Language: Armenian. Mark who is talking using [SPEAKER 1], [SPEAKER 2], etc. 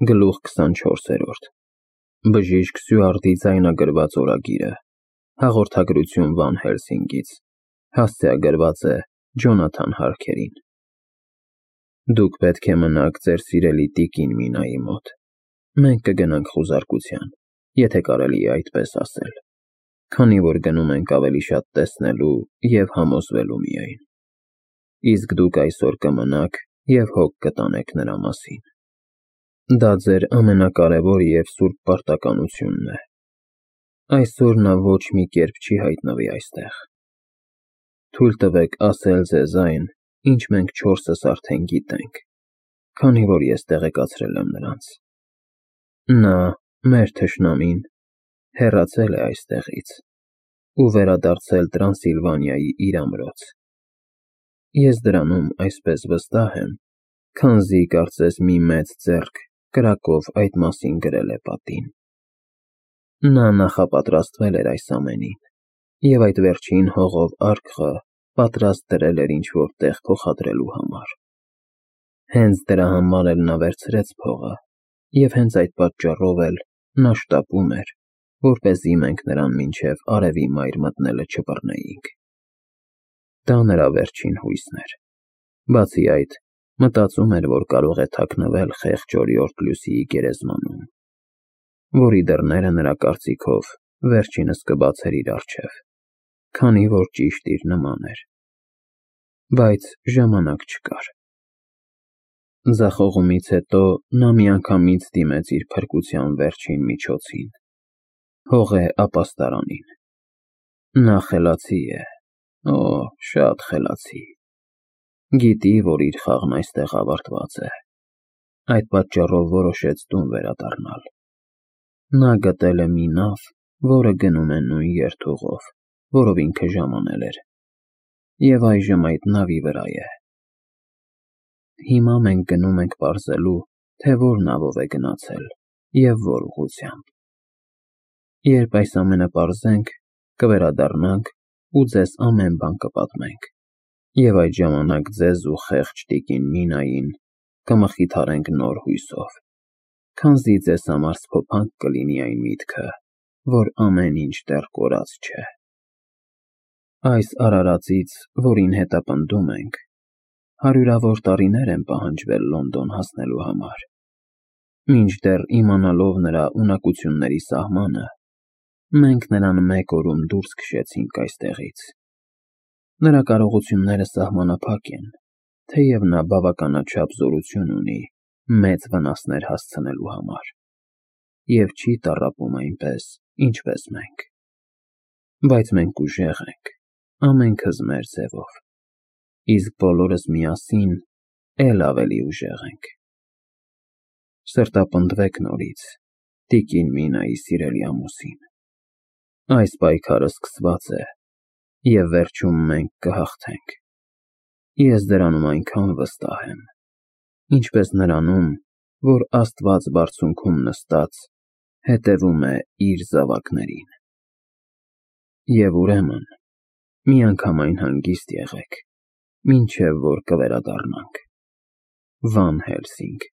[SPEAKER 1] Գլուխ 24-րդ Բժիշկ Սյուարտի ձայնագրված օրագիրը Հաղորդագրություն Վան Հելսինգից Հասցեագրված է Ջոնաթան Հարքերին Դուք պետք է մնաք ձեր սիրելի տիկին Մինայի մոտ Մենք կգնանք խուզարկության, եթե կարելի է այդպես ասել Քանի որ գնում ենք ավելի շատ տեսնելու և համոզվելու միայն Իսկ դուք այսօր կմնաք և հոգ կտանեք նրա մասին Դա ձեր ամենակարևոր և սուրբ պարտականությունն է Այսօր նա ոչ մի կերպ չի հայտնվի այստեղ Թույլ տվեք ասել ձեզ այն, ինչ մենք չորսս արդեն գիտենք, քանի որ ես տեղեկացրել եմ նրանց Նա, մեր թշնամին, հեռացել է այստեղից ու վերադարձել Տրանսիլվանիայի իր ամրոց Ես դրանում այսպես վստահ եմ, քանզի կարծես մի մեծ ձեռք կրակով այդ մասին գրել է պատին Նա նախապատրաստվել էր այս ամենին և այդ վերջին հողով արկղը պատրաստ դրել էր ինչ-որ տեղ փոխադրելու համար Հենց դրա համար էլ նա վերցրեց փողը և հենց այդ պատճառով էլ նա շտապում էր, որպեսզի մենք նրան մինչև արևի մայր մտնելը չբռնեինք Դա նրա վերջին հույսն էր Բացի այդ, մտածում էր, որ կարող է թաքնվել խեղճ օրիորդ Լյուսիի գերեզմանում, որի դռները նրա կարծիքով վերջինս կբացեր իր առջև, քանի որ ճիշտ իր նման էր, բայց ժամանակ չկար Ձախողումից հետո նա միանգամից դիմեց իր փրկության վերջին միջոցին, հողե ապաստարանին Նա խելացի է, շատ խելացի Գիտի, որ իր խաղն այստեղ ավարտված է Այդ պատճառով որոշեց տուն վերադառնալ Նա գտել է մի նավ, որը գնում է նույն երթուղով, որով ինքը ժամանել էր և այժմ այդ նավի վրա է Հիմա մենք գնում ենք պարզելու, թե որ նավով է գնացել և որ ուղղությամբ Երբ այս ամենը պարզենք, կվերադառնանք ու ձեզ ամեն բան կպատմենք և այդ ժամանակ ձեզ ու խեղճ տիկին Մինային կմխիթարենք նոր հույսով, քանզի ձեզ համար սփոփանք կլինի այն միտքը, որ ամեն ինչ դեռ կորած չէ Այս արարածից, որին հետապնդում ենք, հարյուրավոր տարիներ են պահանջվել Լոնդոն հասնելու համար Մինչդեռ իմանալով նրա ունակությունների սահմանը, մենք նրան մեկ օրում դուրս քշեցինք այստեղից Նրա կարողությունները սահմանափակ են, թեև նա բավականաչափ զորություն ունի մեծ վնասներ հասցնելու համար և չի տառապում այնպես, ինչպես մենք Բայց մենք ուժեղ ենք, ամենքս մեր ձևով, իսկ բոլորս միասին էլ ավելի ուժեղ ենք Սրտապնդվեք նորից, տիկին Մինայի սիրելի ամուսին Այս պայքարը սկսված է և վերջում մենք կհաղթենք Ես դրանում այնքան վստահ եմ, ինչպես նրանում, որ Աստված բարձունքում նստած հետևում է իր զավակներին Եվ ուրեմն, միանգամայն հանգիստ եղեք, մինչև որ կվերադառնանք Վան Հելսինգ